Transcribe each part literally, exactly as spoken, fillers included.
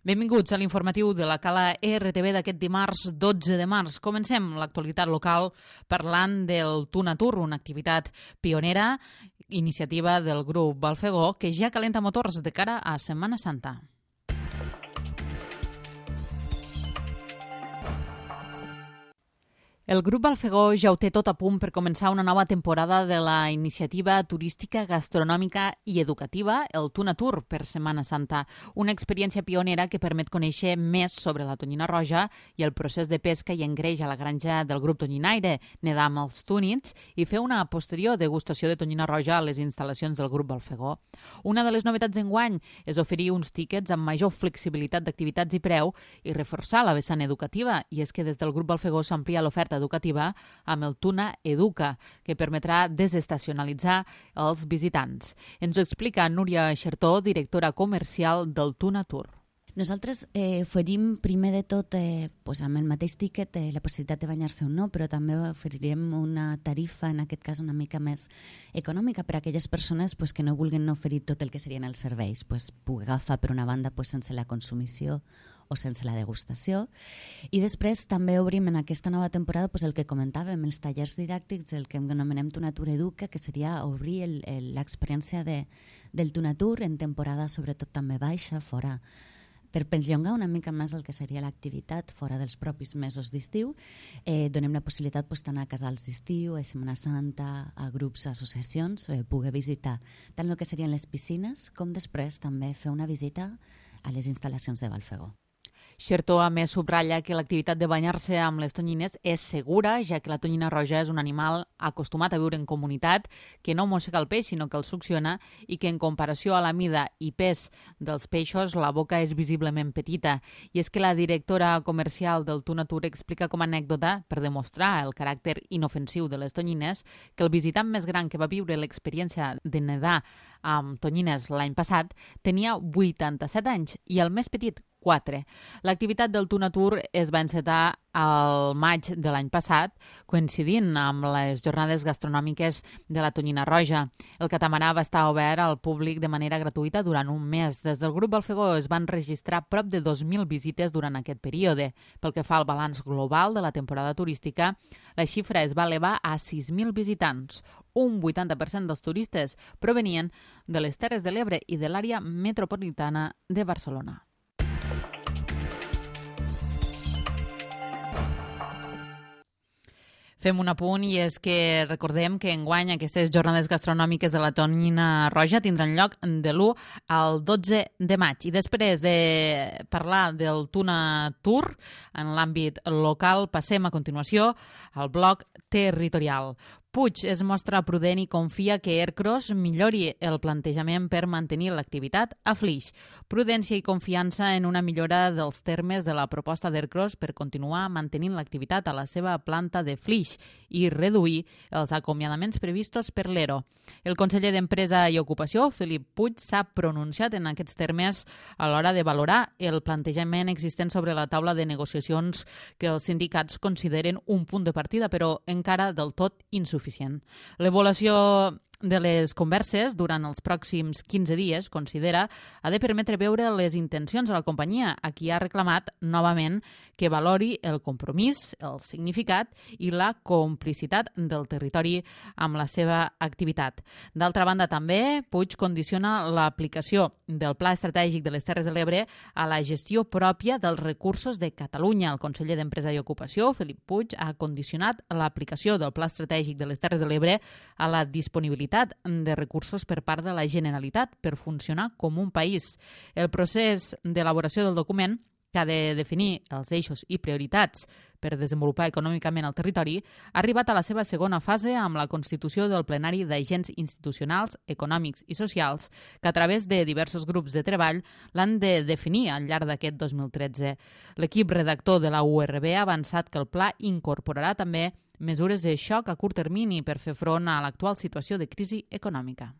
Benvinguts a l'informatiu de la Cala R T V d'aquest dimarts dotze de març. Comencem l'actualitat local parlant del Tunatur, una activitat pionera, iniciativa del grup Balfegó, que ja calenta motors de cara a Setmana Santa. El grup Balfegó ja ho té tot a punt per començar una nova temporada de la iniciativa turística, gastronòmica i educativa, el Tunatur per Setmana Santa. Una experiència pionera que permet conèixer més sobre la tonyina roja i el procés de pesca i engreix a la granja del grup tonyinaire, nedar amb els túnids i fer una posterior degustació de tonyina roja a les instal·lacions del grup Balfegó. Una de les novetats d'enguany és oferir uns tíquets amb major flexibilitat d'activitats i preu i reforçar la vessant educativa, i és que des del grup Balfegó s'amplia l'oferta educativa amb el Tuna Educa, que permetrà desestacionalitzar els visitants. Ens ho explica Núria Xertó, directora comercial del Tunatur. Nosaltres eh, oferim primer de tot eh, pues amb el mateix tíquet eh, la possibilitat de banyar-se o no, però també oferirem una tarifa, en aquest cas una mica més econòmica per a aquelles persones pues, que no vulguin oferir tot el que serien els serveis, pues, poder agafar per una banda pues, sense la consumició o sense la degustació. I després també obrim en aquesta nova temporada pues, el que comentàvem, els tallers didàctics, el que anomenem Tunatur Educa, que seria obrir l'experiència de, del Tunatur en temporada sobretot també baixa, fora per perllongar una mica més el que seria l'activitat fora dels propis mesos d'estiu. Eh, donem la possibilitat pues, d'anar a casals d'estiu, a Setmana Santa, a grups, a associacions, eh, poder visitar tant el que serien les piscines com després també fer una visita a les instal·lacions de Balfegó. Xertó a més subratlla que l'activitat de banyar-se amb les tonyines és segura, ja que la tonyina roja és un animal acostumat a viure en comunitat, que no mossega el peix, sinó que el succiona, i que en comparació a la mida i pes dels peixos, la boca és visiblement petita. I és que la directora comercial del Tunatur explica com a anècdota, per demostrar el caràcter inofensiu de les tonyines, que el visitant més gran que va viure l'experiència de nedar amb tonyines l'any passat tenia vuitanta-set anys i el més petit, quatre. L'activitat del Tunatur es va encetar al maig de l'any passat, coincidint amb les jornades gastronòmiques de la tonyina roja. El catamarà va estar obert al públic de manera gratuïta durant un mes. Des del grup Balfegó es van registrar prop de dos mil visites durant aquest període. Pel que fa al balanç global de la temporada turística, la xifra es va elevar a sis mil visitants. Un vuitanta per cent dels turistes provenien de les Terres de l'Ebre i de l'àrea metropolitana de Barcelona. Fem un apunt i és que recordem que enguany aquestes jornades gastronòmiques de la tonyina roja tindran lloc de l'u al dotze de maig. I després de parlar del Tunatur en l'àmbit local, passem a continuació al bloc territorial. Puig es mostra prudent i confia que Ercros millori el plantejament per mantenir l'activitat a Flix. Prudència i confiança en una millora dels termes de la proposta d'Ercros per continuar mantenint l'activitat a la seva planta de Flix i reduir els acomiadaments previstos per l'ERO. El conseller d'Empresa i Ocupació, Felip Puig, s'ha pronunciat en aquests termes a l'hora de valorar el plantejament existent sobre la taula de negociacions que els sindicats consideren un punt de partida, però encara del tot insuficient. L'avaluació de les converses durant els pròxims quinze dies, considera, ha de permetre veure les intencions de la companyia, a qui ha reclamat novament que valori el compromís, el significat i la complicitat del territori amb la seva activitat. D'altra banda, també, Puig condiciona l'aplicació del Pla Estratègic de les Terres de l'Ebre a la gestió pròpia dels recursos de Catalunya. El conseller d'Empresa i Ocupació, Felip Puig, ha condicionat l'aplicació del Pla Estratègic de les Terres de l'Ebre a la disponibilitat de recursos per part de la Generalitat per funcionar com un país. El procés d'elaboració del document, que ha de definir els eixos i prioritats per desenvolupar econòmicament el territori, ha arribat a la seva segona fase amb la constitució del plenari d'agents institucionals, econòmics i socials, que a través de diversos grups de treball l'han de definir al llarg d'aquest dos mil tretze. L'equip redactor de la U R B ha avançat que el pla incorporarà també mesures de xoc a curt termini per fer front a l'actual situació de crisi econòmica.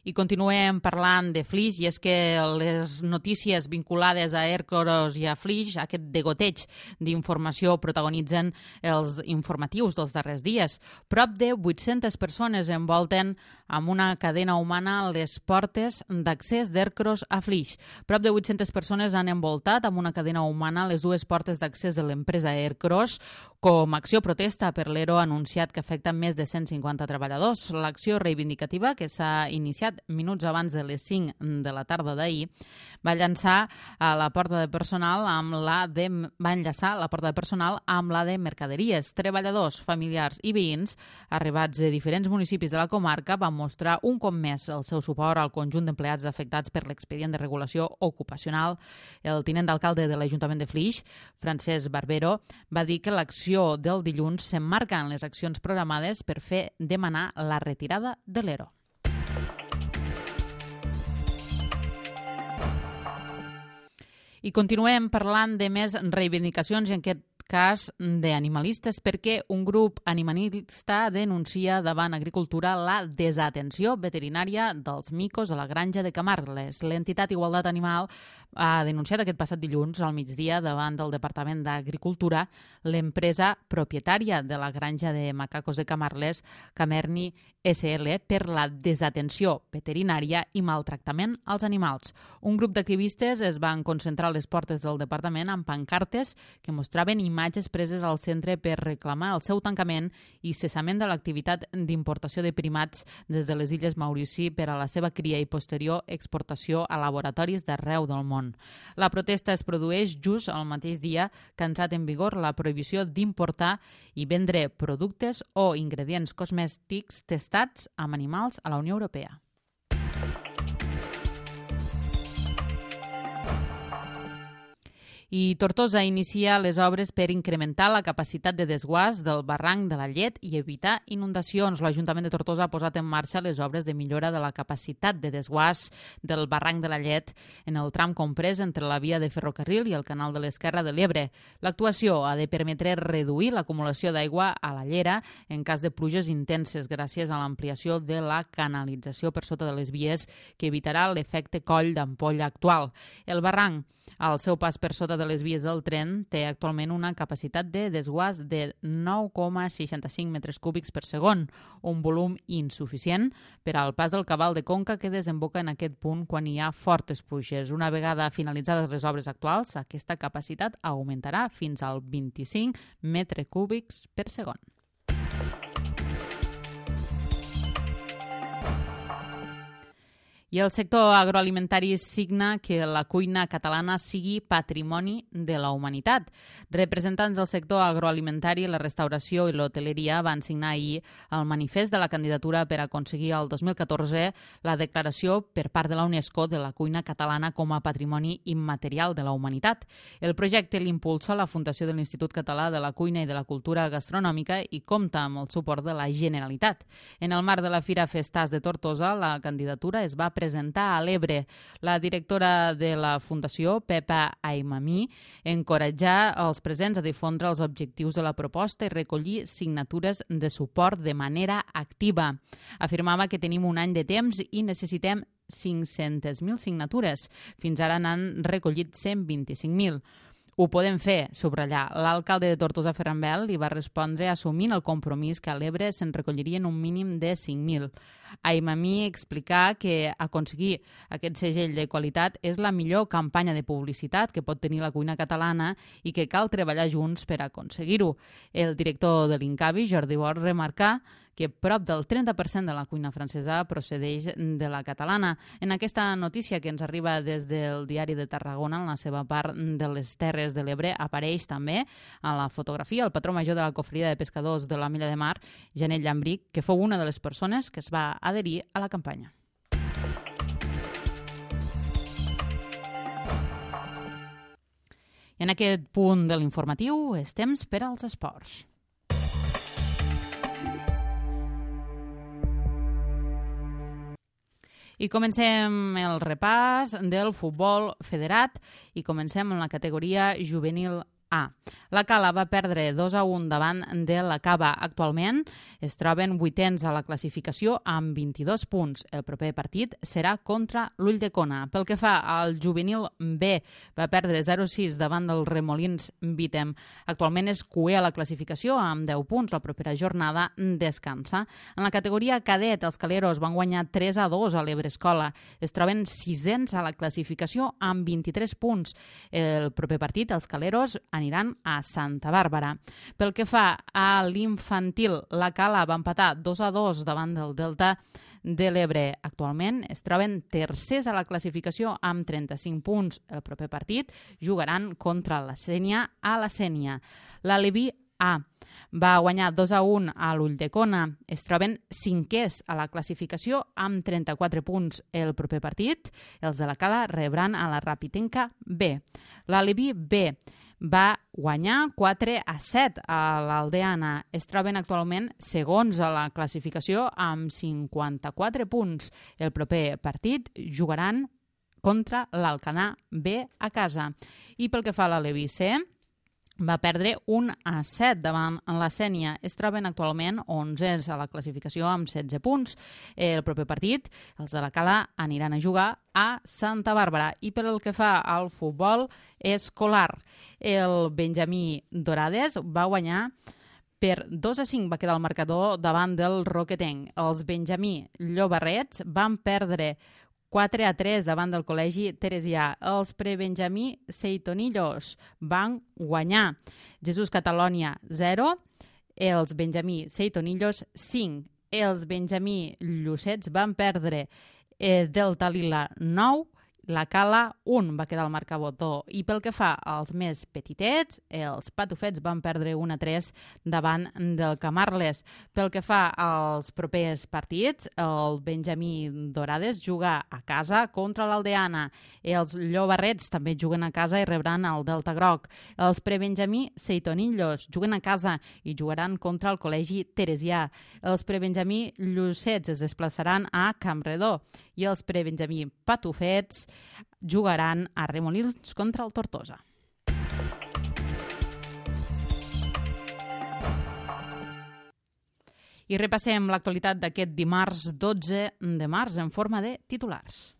I continuem parlant de Flix, i és que les notícies vinculades a Ercros i a Flix, aquest degoteig d'informació, protagonitzen els informatius dels darrers dies. Prop de vuit-centes persones envolten amb una cadena humana les portes d'accés d'Ercros a Flix. Prop de vuit-centes persones han envoltat amb una cadena humana les dues portes d'accés de l'empresa Ercros com a acció protesta per l'ERO anunciat que afecta més de cent cinquanta treballadors. L'acció reivindicativa, que s'ha iniciat minuts abans de les cinc de la tarda d'ahir, va llançar a la porta de personal amb la de va enllaçar la porta de personal amb la de mercaderies. Treballadors, familiars i veïns arribats de diferents municipis de la comarca van mostrar un cop més el seu suport al conjunt d'empleats afectats per l'expedient de regulació ocupacional. El tinent d'alcalde de l'Ajuntament de Flix, Francesc Barbero, va dir que l'acció del dilluns s'emmarca en les accions programades per fer demanar la retirada de l'ERO. I continuem parlant de més reivindicacions, i en aquest cas d'animalistes, perquè un grup animalista denuncia davant Agricultura la desatenció veterinària dels micos a la granja de Camarles. L'entitat Igualtat Animal ha denunciat aquest passat dilluns al migdia davant del Departament d'Agricultura l'empresa propietària de la granja de macacos de Camarles, Camerni S L, per la desatenció veterinària i maltractament als animals. Un grup d'activistes es van concentrar a les portes del departament amb pancartes que mostraven imatges preses al centre per reclamar el seu tancament i cessament de l'activitat d'importació de primats des de les Illes Maurici per a la seva cria i posterior exportació a laboratoris d'arreu del món. La protesta es produeix just el mateix dia que ha entrat en vigor la prohibició d'importar i vendre productes o ingredients cosmètics testats amb animals a la Unió Europea. I Tortosa inicia les obres per incrementar la capacitat de desguàs del barranc de la Llet i evitar inundacions. L'Ajuntament de Tortosa ha posat en marxa les obres de millora de la capacitat de desguàs del barranc de la Llet en el tram comprès entre la via de ferrocarril i el canal de l'Esquerra de l'Ebre. L'actuació ha de permetre reduir l'acumulació d'aigua a la llera en cas de pluges intenses gràcies a l'ampliació de la canalització per sota de les vies que evitarà l'efecte coll d'ampolla actual. El barranc, al seu pas per sota de les vies del tren, té actualment una capacitat de desguàs de nou coma seixanta-cinc metres cúbics per segon, un volum insuficient per al pas del cabal de conca que desemboca en aquest punt quan hi ha fortes pluges. Una vegada finalitzades les obres actuals, aquesta capacitat augmentarà fins al vint-i-cinc metres cúbics per segon. I el sector agroalimentari signa que la cuina catalana sigui patrimoni de la humanitat. Representants del sector agroalimentari, la restauració i l'hoteleria van signar ahir el manifest de la candidatura per aconseguir el dos mil catorze la declaració per part de la UNESCO de la cuina catalana com a patrimoni immaterial de la humanitat. El projecte l'impulsa la Fundació de l'Institut Català de la Cuina i de la Cultura Gastronòmica i compta amb el suport de la Generalitat. En el marc de la Fira Festars de Tortosa, la candidatura es va presentar a l'Ebre. La directora de la Fundació, Pepa Aimamí, encoratjà els presents a difondre els objectius de la proposta i recollir signatures de suport de manera activa. Afirmava que tenim un any de temps i necessitem cinc-centes mil signatures. Fins ara n'han recollit cent vint-i-cinc mil. Ho podem fer, subratllar. L'alcalde de Tortosa, Ferran Bel, li va respondre assumint el compromís que a l'Ebre se'n recollirien un mínim de cinc mil. Aimamí explicà que aconseguir aquest segell de qualitat és la millor campanya de publicitat que pot tenir la cuina catalana i que cal treballar junts per aconseguir-ho. El director de l'Incavi, Jordi Bor, remarcà que prop del trenta per cent de la cuina francesa procedeix de la catalana. En aquesta notícia que ens arriba des del Diari de Tarragona, en la seva part de les Terres de l'Ebre, apareix també a la fotografia el patró major de la cofreria de pescadors de la Milla de Mar, Janet Llambric, que fou una de les persones que es va adherir a la campanya. I en aquest punt de l'informatiu és temps per als esports. I comencem el repàs del futbol federat i comencem amb la categoria juvenil A. La Cala va perdre dos a un davant de la Cava. Actualment es troben vuitens a la classificació amb vint-i-dos punts. El proper partit serà contra l'Ulldecona. Pel que fa al juvenil B, va perdre zero a sis davant del Remolins Bitem. Actualment és cuer a la classificació amb deu punts. La propera jornada descansa. En la categoria cadet, els caleros van guanyar tres a dos a l'Ebrescola. Es troben sisens a la classificació amb vint-i-tres punts. El proper partit, els caleros aniran a Santa Bàrbara. Pel que fa a l'infantil, la Cala va empatar dos a dos davant del Delta de l'Ebre. Actualment es troben tercers a la classificació amb trenta-cinc punts. El proper partit jugaran contra la Sénia a la Sénia. L'Aleví A va guanyar dos a un a l'Ulldecona. Es troben cinquers a la classificació amb trenta-quatre punts. El proper partit, els de la Cala rebran a la Rapitenca B. L'Aleví B va guanyar quatre a set a l'Aldeana. Es troben actualment segons a la classificació amb cinquanta-quatre punts. El proper partit jugaran contra l'Alcanar B a casa. I pel que fa a l'Aleví C, va perdre un a set davant la Sénia. Es troben actualment onzens a la classificació amb setze punts. El proper partit, els de la Cala aniran a jugar a Santa Bàrbara. I pel que fa al futbol escolar, el Benjamí Dorades va guanyar per dos a cinc, va quedar el marcador davant del Roquetenc. Els Benjamí Llobarrets van perdre quatre a tres davant del Col·legi Teresià. Els prebenjamí Seitonillos van guanyar. Jesús Catalònia zero, els Benjamí Seitonillos cinc. Els Benjamí Llucets van perdre eh, Delta Lila nou, la Cala un, va quedar el marcador. I pel que fa als més petitets, els Patufets van perdre un a tres davant del Camarles. Pel que fa als propers partits, el Benjamí Dorades juga a casa contra l'Aldeana. Els Llobarrets també juguen a casa i rebran el Delta Groc. Els prebenjamí Seitonillos juguen a casa i jugaran contra el Col·legi Teresià. Els prebenjamí Llucets es desplaçaran a Campredó i els prebenjamí Patufets jugaran a Remolins contra el Tortosa. I repassem l'actualitat d'aquest dimarts dotze de març en forma de titulars.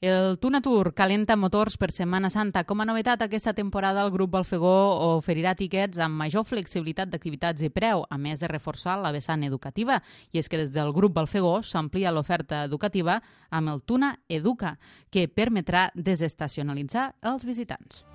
El Tuna Tour calenta motors per Setmana Santa. Com a novetat, aquesta temporada el grup Balfegó oferirà tiquets amb major flexibilitat d'activitats i preu, a més de reforçar la vessant educativa. I és que des del grup Balfegó s'amplia l'oferta educativa amb el Tuna Educa, que permetrà desestacionalitzar els visitants.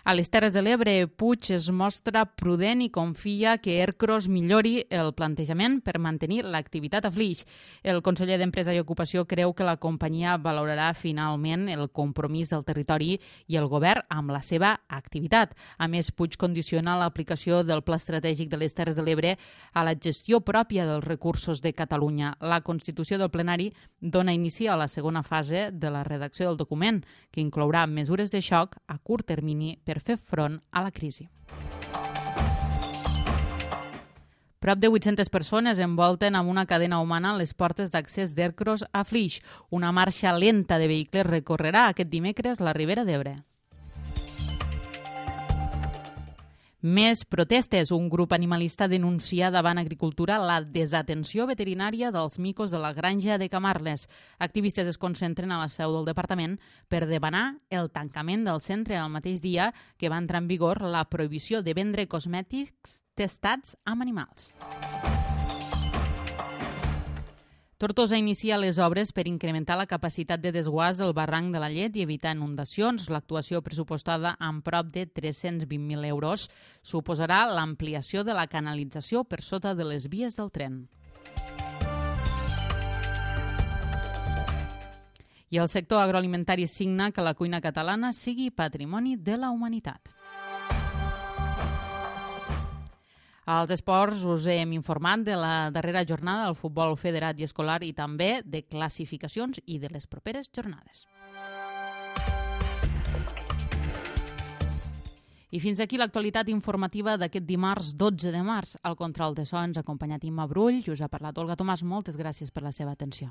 A les Terres de l'Ebre, Puig es mostra prudent i confia que Ercros millori el plantejament per mantenir l'activitat a Flix. El conseller d'Empresa i Ocupació creu que la companyia valorarà finalment el compromís del territori i el govern amb la seva activitat. A més, Puig condiciona l'aplicació del Pla Estratègic de les Terres de l'Ebre a la gestió pròpia dels recursos de Catalunya. La constitució del plenari dona inici a la segona fase de la redacció del document, que inclourà mesures de xoc a curt termini per fer front a la crisi. Prop de vuit-centes persones envolten amb una cadena humana les portes d'accés d'Ercros a Flix. Una marxa lenta de vehicles recorrerà aquest dimecres la Ribera d'Ebre. Més protestes. Un grup animalista denuncia davant Agricultura la desatenció veterinària dels micos de la granja de Camarles. Activistes es concentren a la seu del departament per demanar el tancament del centre el mateix dia que va entrar en vigor la prohibició de vendre cosmètics testats amb animals. Tortosa inicia les obres per incrementar la capacitat de desguàs del barranc de la Llet i evitar inundacions. L'actuació pressupostada amb prop de tres-cents vint mil euros suposarà l'ampliació de la canalització per sota de les vies del tren. I el sector agroalimentari signa que la cuina catalana sigui patrimoni de la humanitat. Als esports us hem informat de la darrera jornada del futbol federat i escolar i també de classificacions i de les properes jornades. I fins aquí l'actualitat informativa d'aquest dimarts dotze de març. Al control de so ens ha acompanyat Imma Brull i us ha parlat Olga Tomàs. Moltes gràcies per la seva atenció.